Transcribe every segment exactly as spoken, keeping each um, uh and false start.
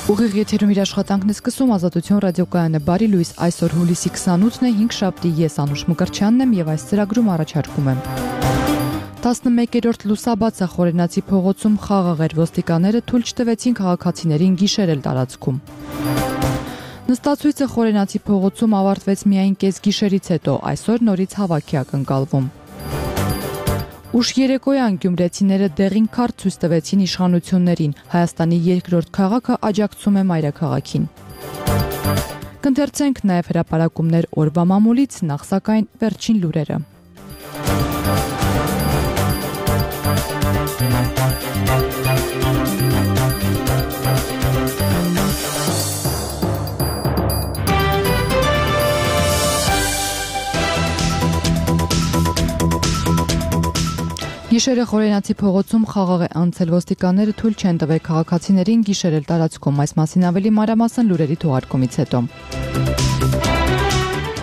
Ուղիղ եթերում իր աշխատանքն է սկսում Ազատություն ռադիոկայանը։ Բարի լույս, այսօր հուլիսի քսանութն է, հինգշաբթի, ես Անուշ Մկրտչյանն եմ եւ այս ծրագրում առաջարկում եմ։ տասնմեկերորդ լուսաբացը Խորենացի փողոցում խաղաղ էր, ոստիկանները թույլ չտվեցին քաղաքացիներին գիշերել տարածքում։ Նստացույցը Խորենացի փողոցում ավարտվեց միայն կեսգիշերից հետո, այսօր նորից հավաք է ակնկալվում։ Ուշ երեկոյան գյումրեցիները դեղին քարտ ցույց տվեցին իշխանություններին, Հայաստանի երկրորդ քաղաքը աջակցում է մայրաքաղաքին։ Կընթերցենք նաև հրապարակումներ օրվա մամուլից, նախ սակայն վերջին լուրերը։ Գիշերը Խորենացի փողոցում խաղաղ է անցել, ոստիկանները թույլ չեն տվել քաղաքացիներին գիշերել տարածքում, այս մասին ավելի մանրամասն լուրերի թողարկումից հետո։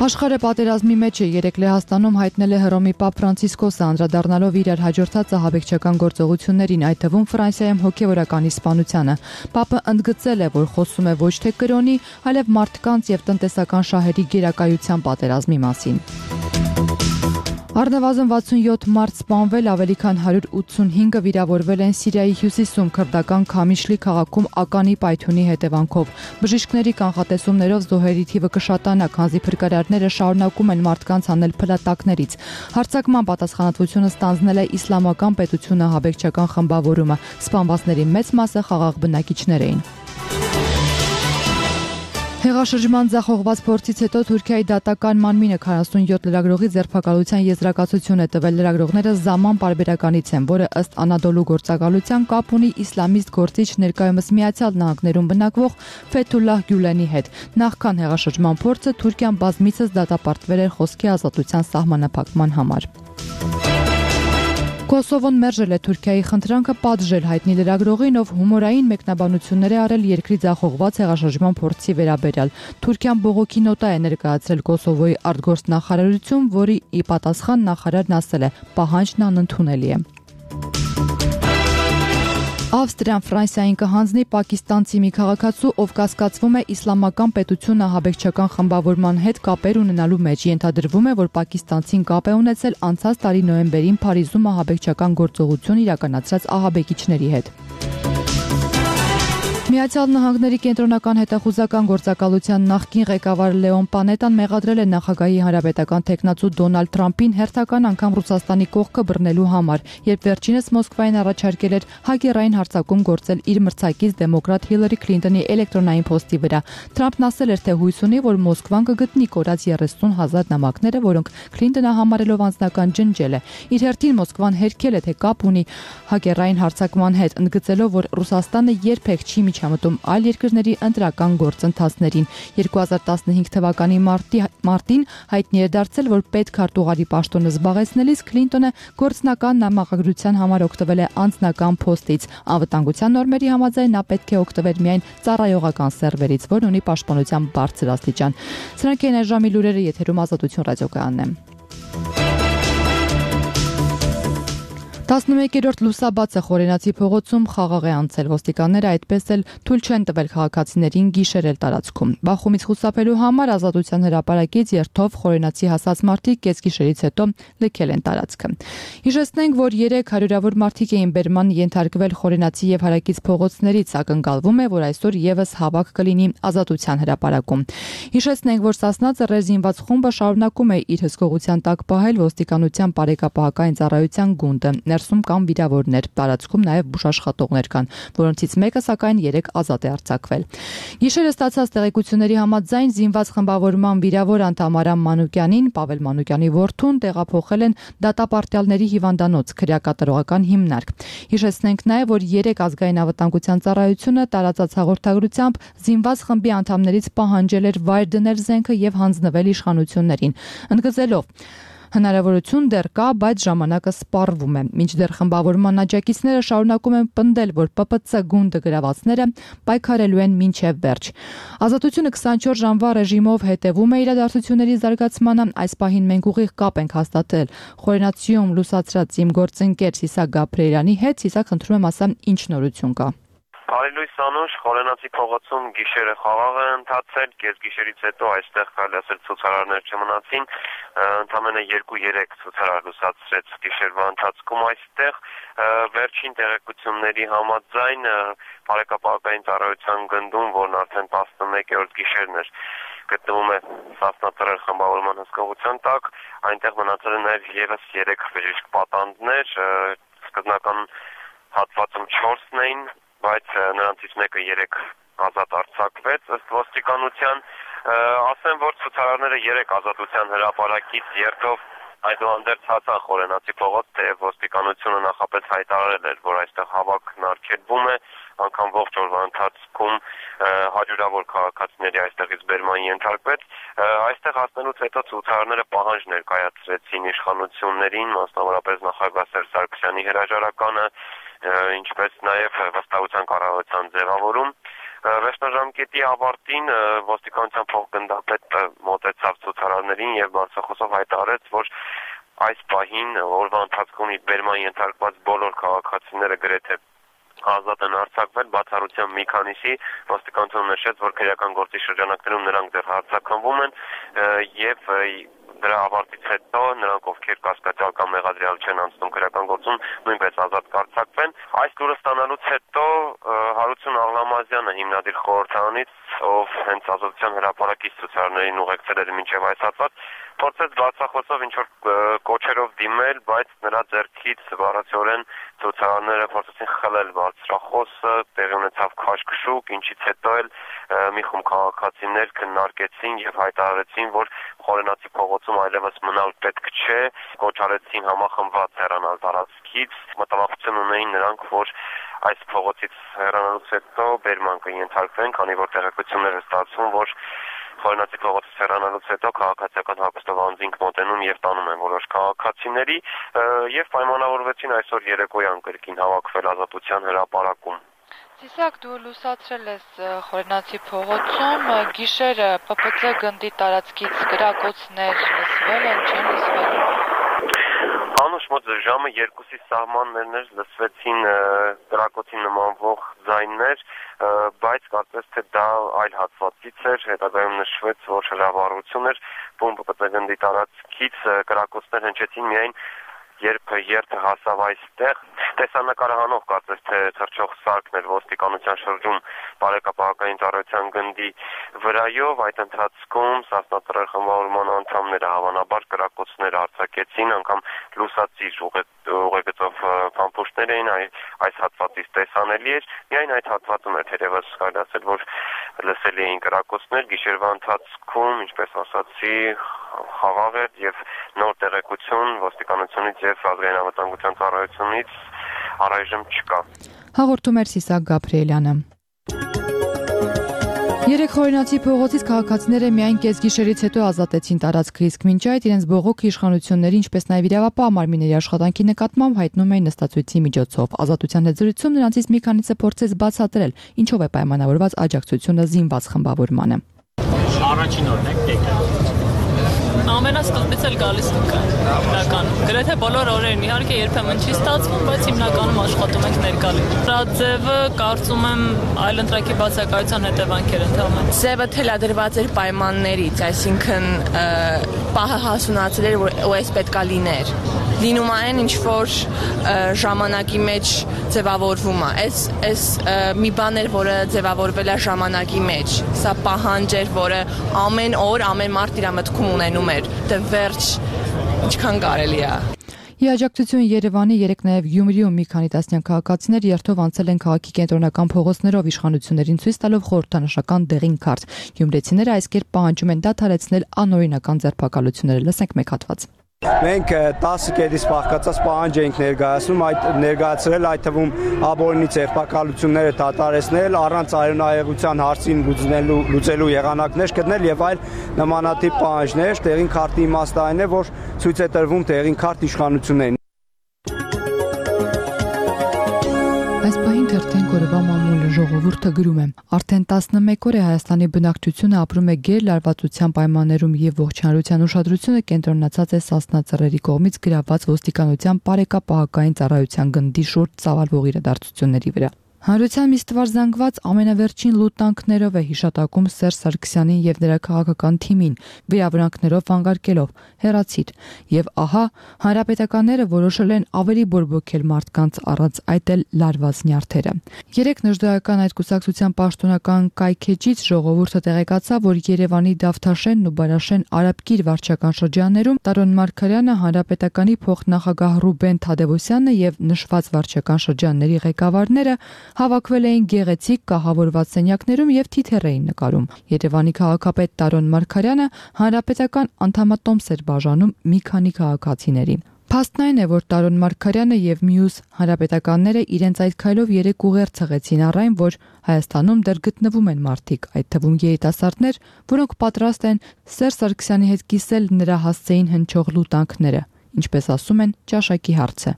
Աշխարհը պատերազմի մեջ է, երեկ Լեհաստանում հայտնել է Հռոմի Պապ Ֆրանցիսկոսը, անդրադառնալով իրար հաջորդած ահաբեկչական գործողություններին, այդ թվում Ֆրանսիայում հոգևորականի սպանությանը։ Պապը ընդգծել է, որ խոսում է ոչ թե կրոնի, այլև մարդկանց եւ տնտեսական շահերի գերակայության պատերազմի մասին։ Առնվազն վաթսունյոթ մարդ սպանվել, ավելի քան հարյուր ութսունհինգը վիրավորվել են Սիրիայի հյուսիսում քրդական Քամիշլի քաղաքում ականի պայթյունի հետևանքով։ Բժիշկների կանխատեսումներով զոհերի թիվը կշատանա, քանզի փրկարարները շարունակում են մարդկանց հանել փլատակներից։ Հարձակման պատասխանատվությունը ստանձնել է Իսլամական պետությունը ահաբեկչական խմբավորումը։ Սպանվածների մեծ մասը խաղաղ բնակիչներ էին։ Հեղաշրջման ձախողված փորձից հետո Թուրքիայի դատական մանմինը քառասունյոթ լրագրողի ձերբակալության եզրակացություն է տվել։ Լրագրողները Զաման պարբերականից են, որը ըստ Անադոլու գործակալության կապ ունի իսլամիստ գործիչ ներկայումս Միացյալ Նահանգներում բնակվող Ֆեթուլլահ Գյուլենի հետ։ Նախքան հեղաշրջման փորձը Թուրքիան բազմիցս դատապարտվել էր խոսքի ազատության սահմանափակման համար։ Կոսովոն մերժել է Թուրքիայի խնդրանքը պատժել հայտնի լրագրողին, ով հումորային մեկնաբանություններ է արել երկրի ձախողված հեղաշրջման փորձի վերաբերյալ։ Թուրքիան բողոքի նոտա է ներկայացրել Կոսովոյի արտգործնախարարություն, որի ի պատասխան նախարարն ասել է՝ պահանջն անընդունելի է։ Ավստրիան Ֆրանսիային կհանձնի պակիստանցի մի քաղաքացու, ով կասկածվում է իսլամական պետություն ահաբեկչական խմբավորման հետ կապեր ունենալու մեջ։ Ենթադրվում է, որ պակիստանցին կապ է ունեցել անցած տարի նոյեմբերին Փարիզում ահաբեկչական գործողություն իրականացրած ահաբեկիչների հետ։ Միացյալ Նահանգների կենտրոնական հետախուզական գործակալության նախկին ղեկավար Լեոն Պանետան մեղադրել է նախագահի հանրապետական թեկնածու Դոնալդ Թրամփին հերթական անգամ Ռուսաստանի կողքը բռնելու համար, երբ վերջինս Մոսկվային առաջարկել էր հակերային հարձակում գործել իր մրցակից դեմոկրատ Հիլարի Քլինտոնի էլեկտրոնային փոստի վրա։ Թրամփն ասել էր, թե հույս ունի, որ Մոսկվան կգտնի կորած երեսուն հազար նամակները, որոնք Քլինտոնը համարելով անձնական ջնջել է։ Իր հերթին Մոսկվան հերքել է, թե կապ ունի հակերային հարձակման հետ, ընդգծելով, որ Ռուսաստանը երբեք չի միջամտում այլ երկրների ընտրական գործընթացներին։ երկու հազար տասնհինգ թվականի մարտի, մարտին հայտնի է դարձել, որ պետքարտուղարի պաշտոնը զբաղեցնելիս Քլինտոնը գործնական նամակագրության համար օգտվել է անձնական փոստից։ Անվտանգության նորմերի համաձայն նա պետք է օգտվեր միայն ծառայողական սերվերից, որն ունի պաշտպանության բարձր աստիճան։ Սրանք են այժմի լուրերը, եթերում Ազատություն ռադիոկայանն է։ տասնմեկերորդ լուսաբացը Խորենացի փողոցում խաղաղ է անցել, ոստիկանները այդպես էլ թույլ չեն տվել քաղաքացիներին գիշերել տարածքում։ Բախումից խուսափելու համար Ազատության հրապարակից երթով Խորենացի հասած մարդիկ կեսգիշերից հետո լքել են տարածքը։ Հիշեցնենք, որ երեք հարյուրավոր մարդիկ էին բերման ենթարկվել Խորենացի եւ Հարակից փողոցներից, ակնկալվում է, որ այսօր եւս հավաք կլինի Ազատության հրապարակում։ Հիշեցնենք, որ Սասնա ծռեր զինված խումբը շարունակում է իր հսկողության տակ պահել ոստիկանության բարեկապահական ծառայության գունդը։ Ներսում կան վիրավորներ, տարածքում նաև բուժաշխատողներ կան, որոնցից մեկը սակայն երեք ազատ է արձակվել։ Գիշերը ստացած տեղեկությունների համաձայն զինված խմբավորման վիրավոր անդամ Արամ Մանուկյանին, Պավել Մանուկյանի որդուն տեղափոխել են դատապարտյալների հիվանդանոց, քրեակատարողական հիմնարկ։ Հիշեցնենք նաև, որ երեք ազգային անվտանգության ծառայությունը տարածած հաղորդագրությամբ զինված խմբի անդամներից պահանջել էր վայր դնել զենքը եւ հանձնվել իշխանություններին, ընդգծելով. Հնարավորություն դեռ կա, բայց ժամանակը սպառվում է։ Մինչդեռ խմբավորման աջակիցները շարունակում են պնդել, որ Պ Պ Ց գունդը գրավածները պայքարելու են մինչև վերջ։ Ազատությունը քսանչորս ժամվա ռեժիմով հետևում է իրադարձությունների զարգացմանը։ Այս պահին մենք ուղիղ կապ ենք հաստատել Խորենացիում լուսացրած իմ գործընկեր Սիսակ Գաբրիելյանի հետ։ Սիսակ, խնդրում եմ ասա, ինչ նորություն կա։ Արիլույս Անուշ, Խորենացի փողոցում գիշերը խաղաղ է ընթացել, կեսգիշերից հետո այստեղ կարելի ասել ցուցարարներ չմնացին, ընդամենը երկու-երեք ցուցարար լուսացրեց գիշերվա ընթացքում այստեղ, վերջին տեղեկությունների համաձայն բարեկապահական ծառայության գնդում, որն արդեն տասնմեկերորդ գիշերն էր, գտնվում է Սասնածռեր խմբավորման հսկողության տակ, այնտեղ մնացել են նաև ևս երեք բժիշկ պատանդներ, սկզբնական հատվածում չորսն էին, բայց նրանցից մեկը երեք ազատ արձակվեց ըստ ոստիկանության, ասեմ, որ ցուցարարները երեք ազատության հրապարակից երթով այդուհանդերձ հասան Խորենացի փողոց, թեև ոստիկանությունը նախապես հայտարարել էր, որ այստեղ հավաքն արգելվում է, անգամ ողջ օրվա ընթացքում հաջորավոր քաղաքացիների այստեղից բերման ենթարկվեց, այստեղ հասնելուց հետո ցուցարարները պահանջ ներկայացրեցին իշխանություններին, մասնավորապես նախագահ Սերժ Սարգսյանի հրաժարականը, ինչպես նաև վստահության կառավարության ձևավորում։ Վերջնաժամկետի ավարտին ոստիկանության փոխգնդապետը մոտեցավ ցուցարարներին եւ բարձրախոսով հայտարարեց, որ այս պահին օրվա ընթացքում բերման ենթարկված բոլոր քաղաքացիները գրեթե ազատ են արձակվել, բացառությամբ մի քանիսի, ոստիկանությունը նշեց, որ քրեական գործի շրջանակներում նրանք դեռ արձակվում են եւ դրա ավարտից հետո նրանք, ովքեր կասկածյալ կամ մեղադրյալ չեն անցնում քրեական գործում, նույնպես ազատ կարձակվեն։ Այս լուրը ստանալուց հետո Հարություն Աղլամազյանը հիմնադիր խորհրդարանից, ով հենց ազատության հրապարակից ցուցարարներին ուղեկցել էր մինչև այս հատված, փորձեց բացախոսով ինչ-որ կոչերով դիմել, բայց նրա ձեռքից բառացիորեն ցուցարարները փորձեցին խլել բարձրախոսը, տեղի ունեցավ քաշքշուկ, ինչից հետո էլ մի խումբ քաղաքացիներ քննարկեցին եւ հայտարարեցին, որ Խորենացի փողոցում այլևս մնալ պետք չէ, կոչարեցին համախմբված հեռանալ տարածքից, մտավախություն ունեին նրանք, որ այս փողոցից հեռանալուց հետո բերման կենթարկվեն, քանի որ տեղեկություններ է ստացվում, որ Խորենացի փողոցից հեռանալուց հետո քաղաքացիական հագուստով անձինք մոտենում եւ տանում են որոշ քաղաքացիների եւ պայմանավորվեցին այսօր երեկոյան կրկին հավաքվել ազատության հրապարակում։ Սիսակ, դու լուսացրել ես Խորենացի փողոցում, գիշերը Պ Պ Ց գնդի տարածքից գրակոծներ լսվել են, չեն լսվել։ Անուշ մոտ ժամը երկուսի սահմաններն էր, լսվեցին գրակոծի նմանվող ձայններ, բայց կարծես թե դա այլ հատվածից էր, հետագայում նշվեց, որ հրավառություն էր, Պ Պ Ց գնդի տարածքից գրակոծներ հնչեցին միայն երբ երթը հասավ այստեղ, տեսանկարը հանող կարծես թե թռչող սարքն էր ոստիկանության շրջում բարեկապահական ծառայության գնդի վրայով, այդ ընթացքում Սասնածռեր խմբավորման անդամները հավանաբար կրակոցներ արձակեցին, անգամ լուսացիր ուղեգծով փամփուշտներ էին, այս հատվածից տեսանելի էր, միայն այդ հատվածում էր թերևս կարելի ասել, որ լսելի էին կրակոցներ, գիշերվա ընթացքում, ինչպես ասացի, խաղաղ էր եւ նոր տեղեկություն ոստիկանությունից եւ ազգային անվտանգության ծառայությունից առայժմ չկա։ Հաղորդում էր Սիսակ Գաբրիելյանը։ Երեք Խորենացի փողոցից քաղաքացիները միայն կեսգիշերից հետո ազատեցին տարածքը, իսկ մինչ այդ իրենց բողոքը իշխանությունների, ինչպես նաև իրավապահ մարմինների աշխատանքի նկատմամբ հայտնում էին նստածույցի միջոցով։ Ազատության հետ զրույցում նրանցից մի քանիսը փորձեց բացատրել, ինչով է պայմանավորված աջակցությունը զինված խմբավորմանը։ Առաջին օրն եք ամենասկզբից էլ գալիս ենք իրականում։ Գրեթե բոլոր օրերն իհարկե երբեմն չի ստացվում, բայց հիմնականում աշխատում ենք ներկա լինել։ Դրա ձևը կարծում եմ այլընտրակի բացակայության հետևանքեր ընդհանրապես։ Ձևը թելադրված էր պայմաններից, այսինքն պահը հասունացել էր, որ այս պետքա լիներ։ Լինում այն ինչ որ ժամանակի մեջ ձևավորվում է։ Այս այս մի բան էր, որը ձևավորվել է ժամանակի մեջ։ Սա պահանջ էր, որը ամեն օր, ամեն մարդ իր մտքում ունենում էր։ Դե վերջ ինչքան կարելի է։ Ի աջակցություն Երևանի երեք նաև Գյումրիում մի քանի տասնյակ քաղաքացիներ երթով անցել են քաղաքի կենտրոնական փողոցներով իշխանություններին ցույց տալով խորհրդանշական դեղին քարտ։ Գյումրեցիները այս կերպ պահանջում են դադարեցնել անօրինական ձերբակալությունները։ Լսենք մեկ հատված։ Մենք տասը կետից բաղկացած պահանջ էինք ներկայացնում, այդ ներկայացրել այդ թվում ապօրինի ձերբակալությունները դադարեցնել, առանց արյունահեղության հարցին լուծելու լուծելու եղանակներ գտնել եւ այլ նմանատիպ պահանջներ։ Տեղին քարտի իմաստը այն է, որ ցույց է տրվում տեղին քարտ իշխանություններին։ Այս պահին թերթեն կորովա մամուլը ժողովուրդը գրում է. արդեն տասնմեկ օր է Հայաստանի բնակչությունը ապրում է գերլարվածության պայմաններում եւ ողջունության ուշադրությունը կենտրոնացած է Սասնածռերի կողմից գրաված ոստիկանության բարեկապահական ծառայության գնդի շուրջ ծավալվող իրադարձությունների վրա։ Հանրության միստվար զանգված ամենավերջին լուտանքներով է հիշատակում Սերժ Սարգսյանին եւ նրա քաղաքական թիմին, վիրավորանքներով վանկարկելով հեռացիր։ Եվ ահա հանրապետականները որոշել են ավելի բորբոքել մարդկանց առանց այդ էլ լարված նյարդերը։ Երեք նժդեական այդ կուսակցության պաշտոնական կայքեջից ժողովուրդը տեղեկացավ, որ Երևանի Դավթաշենն ու Բարաշեն Արաբկիր վարչական շրջաններում Տարոն Մարգարյանը, հանրապետականի փոխնախագահ Ռուբեն Թադևոսյանը եւ նշված վարչական շրջանների ղեկավարները հավաքվել էին գեղեցիկ կահավորված սենյակներում եւ թիթեռ էին նկարում։ Երևանի քաղաքապետ Տարոն Մարգարյանը հանրապետական անդամատոմս էր բաժանում մի քանի քաղաքացիների։ Փաստն այն է, որ Տարոն Մարգարյանը եւ մյուս հանրապետականները իրենց այդ քայլով երեք ուղեր ցղեցին առ այն, որ Հայաստանում դեռ գտնվում են մարդիկ, այդ թվում երիտասարդներ, որոնք պատրաստ են Սերժ Սարգսյանի հետ կիսել նրա հասցեին հնչող լուտանքները, ինչպես ասում են, ճաշակի հարց է։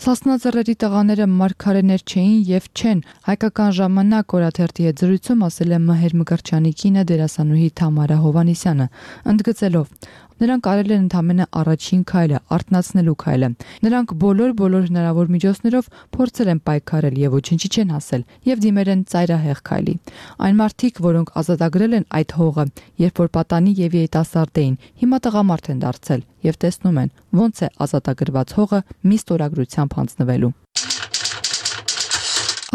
Սասնաձեռերի տղաները մարգարեներ չէին եւ չեն, հայկական ժամանակ օրաթերթի հետ զրույցում ասել է Մհեր Մկրտչյանի կինը դերասանուհի Թամարա Հովհաննիսյանը, ընդգծելով. Նրանք արել են ընդամենը առաջին քայլը, արթնացնելու քայլը։ Նրանք բոլոր բոլոր հնարավոր միջոցներով փորձել են պայքարել եւ ոչինչի չեն հասել եւ դիմել են ծայրահեղ քայլի։ Այն մարդիկ, որոնք ազատագրել են այդ հողը, երբ որ պատանի եւ երիտասարդ էին, հիմա տղամարդ են դարձել եւ տեսնում են, ոնց է ազատագրված հողը մի ստորագրությամբ հանձնվելու։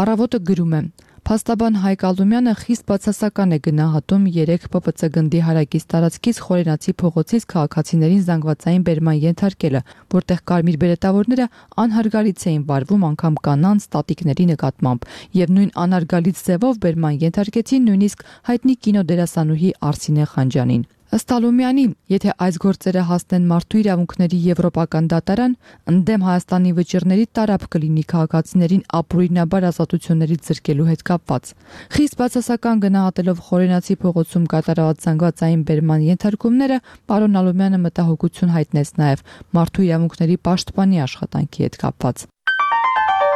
Առավոտը գրում է. Փաստաբան Հայկ Ալումյանը խիստ բացասական է գնահատում երեք Պ Վ Ց գնդի հարակից տարածքից Խորենացի փողոցից քաղաքացիներին զանգվածային բերման ենթարկելը, որտեղ կարմիր բերետավորները անհարգալից էին վարվում անգամ կանանց տատիկների նկատմամբ եւ նույն անհարգալից ձևով բերման ենթարկեցին նույնիսկ հայտնի կինոդերասանուհի Արսինե Խանջյանին։ Ըստ Ալումյանի, եթե այս գործերը հասնեն մարդու իրավունքների եվրոպական դատարան, ընդդեմ Հայաստանի վճիռների տարապ կլինի քաղաքացիներին ապօրինաբար ազատություններից զրկելու հետ կապված։ Խիստ բացասական գնահատելով Խորենացի փողոցում կատարված զանգվածային բերման ենթարկումները, պարոն Ալումյանը մտահոգություն հայտնեց նաև մարդու իրավունքների պաշտպանի աշխատանքի հետ կապված։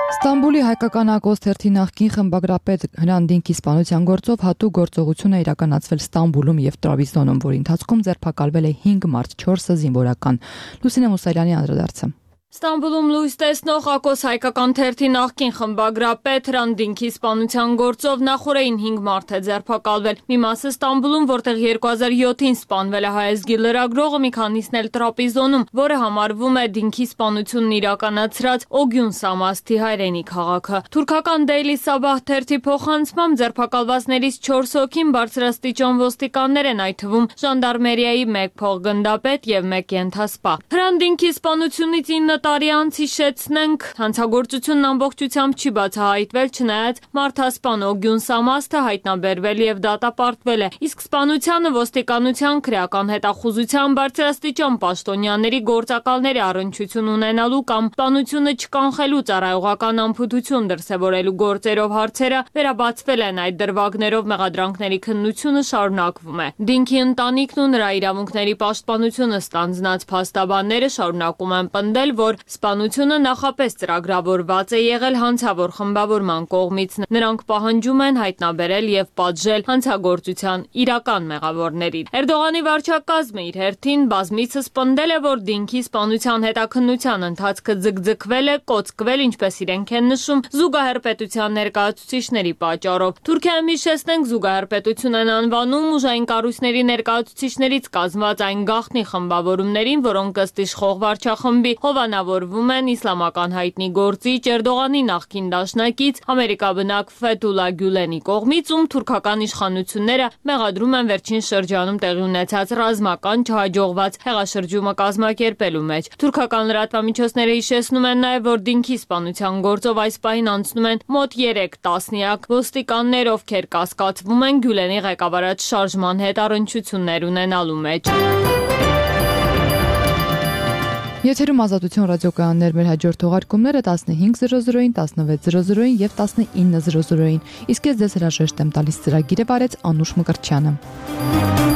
Ստամբուլի հայկական ակոս թերթի նախկին խմբագրապետ Հրանտ սպանության գործով հատուկ գործողություն է իրականացվել Ստամբուլում եւ Տրաբզոնում, որի ընթացքում ձերբակալվել է հինգ մարդ, չորսը զինվորական։ Լուսինե Մուսայելյանի անդրադարձը։ Ստամբուլում լույս տեսնող ակոս հայկական թերթի նախկին խմբագրապետ Հրանտ սպանության գործով նախորդին հինգ մարդ է ձերբակալվել։ Մի մասը Ստամբուլում, որտեղ երկու հազար յոթին սպանվել է հայազգի լրագրողը, մի քանիսն էլ Տրապիզոնում, որը համարվում է Դինքի սպանությունն իրականացրած Օգյուն Սամասթի հայրենի քաղաքը։ Թուրքական Daily Sabah թերթի փոխանցմամբ ձերբակալվածներից չորս հոգին բարձրաստիճան ոստիկաններ են, այդ թվում ժանդարմերիայի մեկ փոխգնդապետ եւ մեկ ենթասպա։ Հրանտ սպանությունից ինը տարի անց հիշեցնենք, հանցագործությունն ամբողջությամբ չի բացահայտվել, չնայած մարդասպան Օգյուն Սամասթը հայտնաբերվել եւ դատապարտվել է, իսկ սպանությանը ոստիկանության քրեական հետախուզության բարձրաստիճան պաշտոնյաների գործակալների առնչություն ունենալու կամ սպանությունը չկանխելու ծառայողական անփութություն դրսևորելու գործերով հարցերը վերաբացվել են, այդ դրվագներով մեղադրանքների քննությունը շարունակվում է։ Դինքի ընտանիքն ու նրա իրավունքների պաշտպանությունը ստանձնած փաստաբանները շարունակում են պնդել, որ սպանությունը նախապես ծրագրավորված է եղել հանցավոր խմբավորման կողմից։ Նրանք պահանջում են հայտնաբերել եւ պատժել հանցագործության իրական մեղավորներին։ Էրդողանի վարչակազմը իր հերթին բազմիցս պնդել է, որ Դինքի սպանության հետաքննության ընթացքը ձգձգվել է, կոծկվել, ինչպես իրենք են նշում, զուգահեռ պետության ներկայացուցիչների պատճառով։ Թուրքիայում հիշեցնենք, զուգահեռ պետություն են անվանում ուժային կառույցների ներկայացուցիչներից կազմված այն գաղտնի խմբավորումներին, որոնք ըստ իշխող վարչախմբի հովանավորվում են իսլամական հայտնի գործիչ Էրդողանի նախկին դաշնակից ամերիկաբնակ Ֆեթուլա Գյուլենի կողմից, ում թուրքական իշխանությունները մեղադրում են վերջին շրջանում տեղի ունեցած ռազմական չհաջողված հեղաշրջումը կազմակերպելու մեջ։ Թուրքական լրատվամիջոցները հիշեցնում են նաև, որ Դինքի սպանության գործով այս պահին անցնում են մոտ երեք տասնյակ ոստիկաններ, ովքեր կասկածվում են Գյուլենի ղեկավարած շարժման հետ առնչություններ ունենալու մեջ։ Եթերում Ազատություն ռադիոկայաններ, մեր հաջորդ թողարկումները տասնհինգ զրո զրոին, տասնվեց զրո զրոին եւ տասնինը զրո զրոին։ Իսկ ես ձեզ հրաժեշտ եմ տալիս ծրագիրը վարեց Անուշ Մկրտչյանը։